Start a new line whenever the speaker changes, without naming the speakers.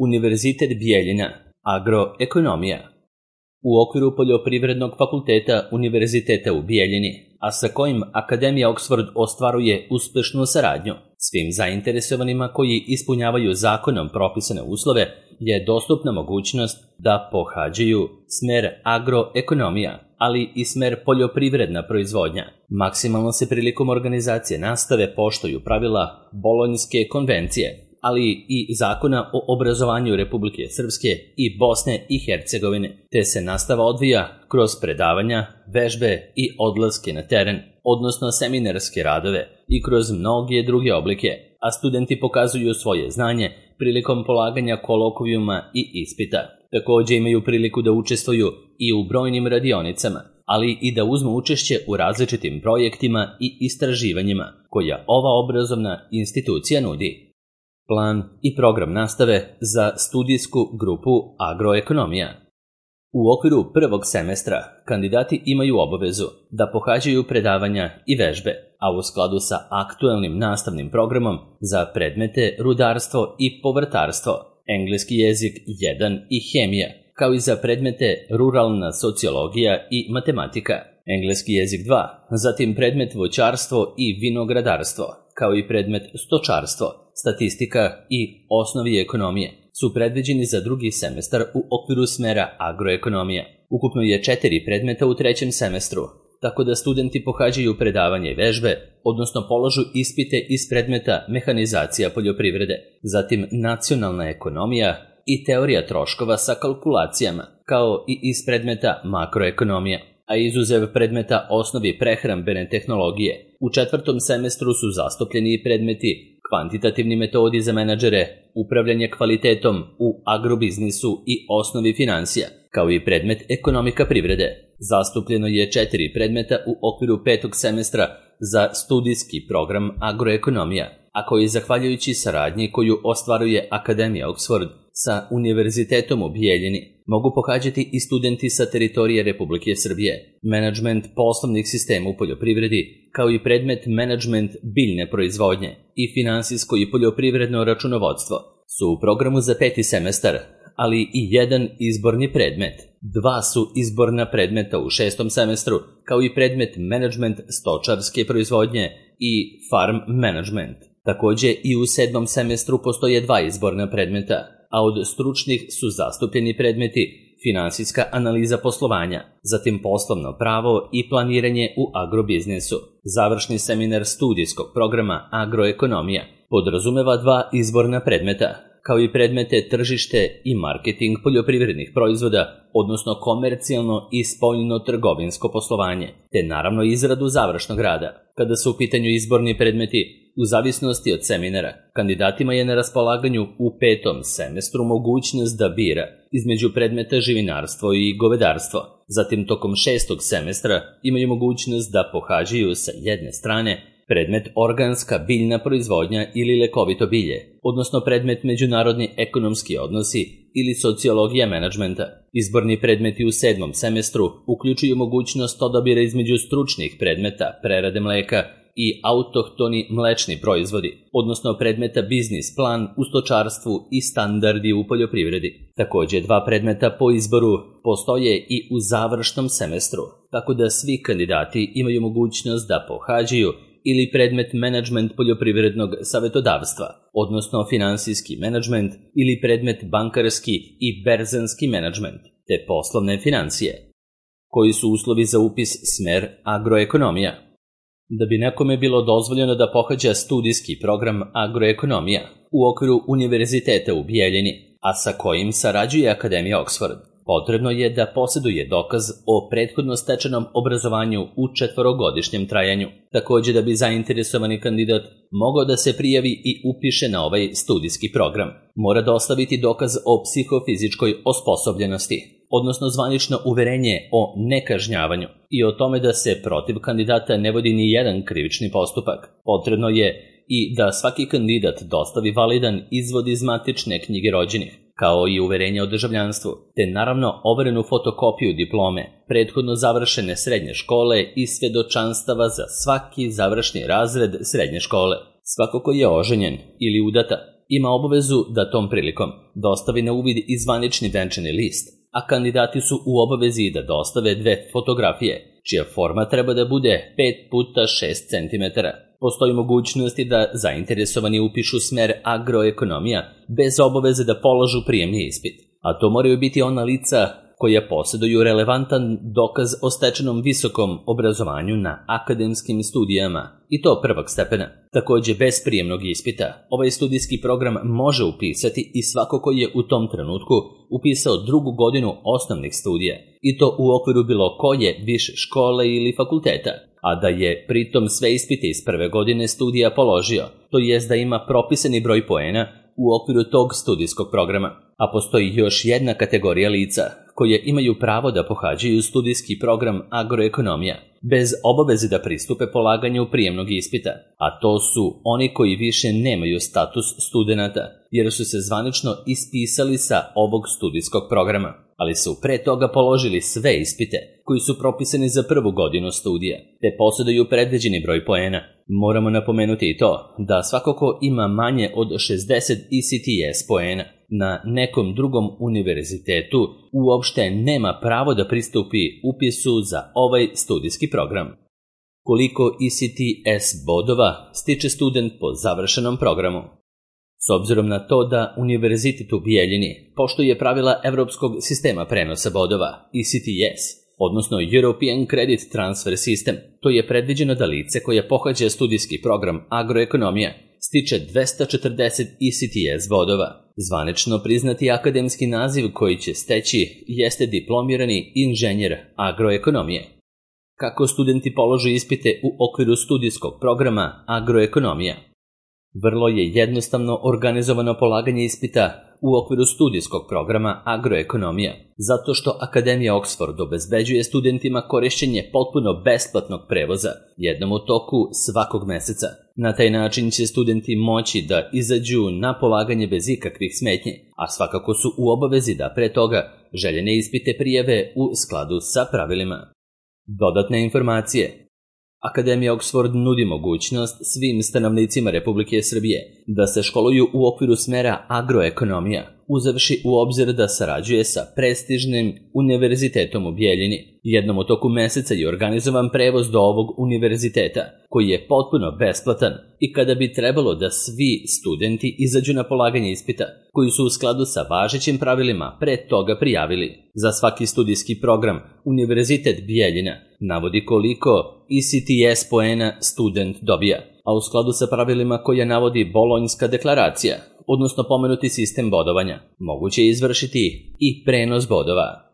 Univerzitet Bijeljina, agroekonomija. U okviru Poljoprivrednog fakulteta Univerziteta u Bijeljini, a sa kojim Akademija Oxford ostvaruje uspešnu saradnju, svim zainteresovanima koji ispunjavaju zakonom propisane uslove je dostupna mogućnost da pohađaju smer agroekonomija, ali i smer poljoprivredna proizvodnja. Maksimalno se prilikom organizacije nastave poštuju pravila Bolonjske konvencije, ali i Zakona o obrazovanju Republike Srpske i Bosne i Hercegovine, te se nastava odvija kroz predavanja, vežbe i odlaske na teren, odnosno seminarske radove i kroz mnoge druge oblike, a studenti pokazuju svoje znanje prilikom polaganja kolokvijuma i ispita. Takođe imaju priliku da učestvuju i u brojnim radionicama, ali i da uzmu učešće u različitim projektima i istraživanjima koja ova obrazovna institucija nudi. Plan i program nastave za studijsku grupu agroekonomija. U okviru prvog semestra kandidati imaju obavezu da pohađaju predavanja i vežbe, a u skladu sa aktuelnim nastavnim programom za predmete rudarstvo i povrtarstvo, engleski jezik 1 i hemija, kao i za predmete ruralna sociologija i matematika, engleski jezik 2, zatim predmet voćarstvo i vinogradarstvo, kao i predmet stočarstvo, statistika i osnovi ekonomije, su predviđeni za drugi semestar u okviru smera agroekonomija. Ukupno je 4 predmeta u trećem semestru, tako da studenti pohađaju predavanje i vežbe, odnosno polažu ispite iz predmeta mehanizacija poljoprivrede, zatim nacionalna ekonomija i teorija troškova sa kalkulacijama, kao i iz predmeta makroekonomija, a izuzev predmeta osnovi prehrambene tehnologije. U četvrtom semestru su zastupljeni i predmeti kvantitativni metodi za menadžere, upravljanje kvalitetom u agrobiznisu i osnovi finansija, kao i predmet ekonomika privrede. Zastupljeno je 4 predmeta u okviru 5. semestra za studijski program agroekonomija, a koji zahvaljujući saradnji koju ostvaruje Akademija Oxford sa Univerzitetom u Bijeljini mogu pohađati i studenti sa teritorije Republike Srbije. Menadžment poslovnih sistema u poljoprivredi, kao i predmet menadžment biljne proizvodnje i finansijsko i poljoprivredno računovodstvo su u programu za 5. semestar, ali i jedan izborni predmet. 2 su izborna predmeta u 6. semestru, kao i predmet menadžment stočarske proizvodnje i farm management. Takođe i u 7. semestru postoje 2 izborna predmeta, a od stručnih su zastupljeni predmeti finansijska analiza poslovanja, zatim poslovno pravo i planiranje u agrobiznisu. Završni seminar studijskog programa agroekonomija podrazumeva 2 izborna predmeta, kao i predmete tržište i marketing poljoprivrednih proizvoda, odnosno komercijalno i spoljno-trgovinsko poslovanje, te naravno izradu završnog rada. Kada su u pitanju izborni predmeti, u zavisnosti od seminara, kandidatima je na raspolaganju u 5. semestru mogućnost da bira između predmeta živinarstvo i govedarstvo. Zatim tokom 6. semestra imaju mogućnost da pohađaju sa jedne strane predmet organska biljna proizvodnja ili lekovito bilje, odnosno predmet međunarodni ekonomski odnosi ili sociologija menadžmenta. Izborni predmeti u 7. semestru uključuju mogućnost odabira između stručnih predmeta prerade mleka i autohtoni mlečni proizvodi, odnosno predmeta biznis plan u stočarstvu i standardi u poljoprivredi. Takođe 2 predmeta po izboru postoje i u završnom semestru, tako da svi kandidati imaju mogućnost da pohađaju ili predmet menadžment poljoprivrednog savetodavstva, odnosno finansijski menadžment ili predmet bankarski i berzanski menadžment, te poslovne financije. Koji su uslovi za upis smer agroekonomija? Da bi nekome bilo dozvoljeno da pohađa studijski program agroekonomija u okviru Univerziteta u Bijeljini, a sa kojim sarađuje Akademija Oxford, potrebno je da poseduje dokaz o prethodno stečenom obrazovanju u 4-godišnjem trajanju. Takođe da bi zainteresovani kandidat mogao da se prijavi i upiše na ovaj studijski program, mora dostaviti dokaz o psihofizičkoj osposobljenosti, odnosno zvanično uverenje o nekažnjavanju i o tome da se protiv kandidata ne vodi ni jedan krivični postupak. Potrebno je i da svaki kandidat dostavi validan izvod iz matične knjige rođenih, kao i uverenje o državljanstvu, te naravno overenu fotokopiju diplome, prethodno završene srednje škole i svedočanstava za svaki završni razred srednje škole. Svako ko je oženjen ili udata ima obavezu da tom prilikom dostavi na uvid i zvanični venčani list, a kandidati su u obavezi da dostave 2 fotografije, čija forma treba da bude 5x6 cm. Postoji mogućnosti da zainteresovani upišu smer agroekonomija bez obaveze da polažu prijemni ispit, a to moraju biti ona lica koja posjeduju relevantan dokaz o stečenom visokom obrazovanju na akademskim studijama, i to prvog stepena. Također, bez prijemnog ispita, ovaj studijski program može upisati i svako ko je u tom trenutku upisao 2. godinu osnovnih studija, i to u okviru bilo koje više škole ili fakulteta, a da je pritom sve ispite iz prve godine studija položio, to jest da ima propisani broj poena u okviru tog studijskog programa. A postoji još jedna kategorija lica koje imaju pravo da pohađaju studijski program agroekonomija bez obaveze da pristupe polaganju prijemnog ispita, a to su oni koji više nemaju status studenata jer su se zvanično ispisali sa ovog studijskog programa, ali su pre toga položili sve ispite koji su propisani za prvu godinu studija, te posjeduju predviđeni broj poena. Moramo napomenuti i to da svako ko ima manje od 60 ECTS poena na nekom drugom univerzitetu uopšte nema pravo da pristupi upisu za ovaj studijski program. Koliko ECTS bodova stiče student po završenom programu? S obzirom na to da Univerzitet u Bijeljini poštuje pravila Evropskog sistema prenosa bodova, ECTS, odnosno European Credit Transfer System, to je predviđeno da lice koje pohađa studijski program agroekonomija stiče 240 ECTS bodova. Zvanično priznati akademski naziv koji će steći jeste diplomirani inženjer agroekonomije. Kako studenti položu ispite u okviru studijskog programa agroekonomija? Vrlo je jednostavno organizovano polaganje ispita u okviru studijskog programa agroekonomija, zato što Akademija Oxford obezbeđuje studentima korišćenje potpuno besplatnog prevoza jednom u toku svakog meseca. Na taj način će studenti moći da izađu na polaganje bez ikakvih smetnji, a svakako su u obavezi da pre toga željene ispite prijave u skladu sa pravilima. Dodatne informacije. Akademija Oxford nudi mogućnost svim stanovnicima Republike Srbije da se školuju u okviru smera agroekonomija, uzevši u obzir da sarađuje sa prestižnim univerzitetom u Bijeljini. Jednom u toku meseca je organizovan prevoz do ovog univerziteta, koji je potpuno besplatan, i kada bi trebalo da svi studenti izađu na polaganje ispita, koji su u skladu sa važećim pravilima pre toga prijavili. Za svaki studijski program Univerzitet Bijeljina navodi koliko ECTS poena student dobija, a u skladu sa pravilima koja navodi Bolonjska deklaracija, odnosno pomenuti sistem bodovanja, moguće je izvršiti i prenos bodova.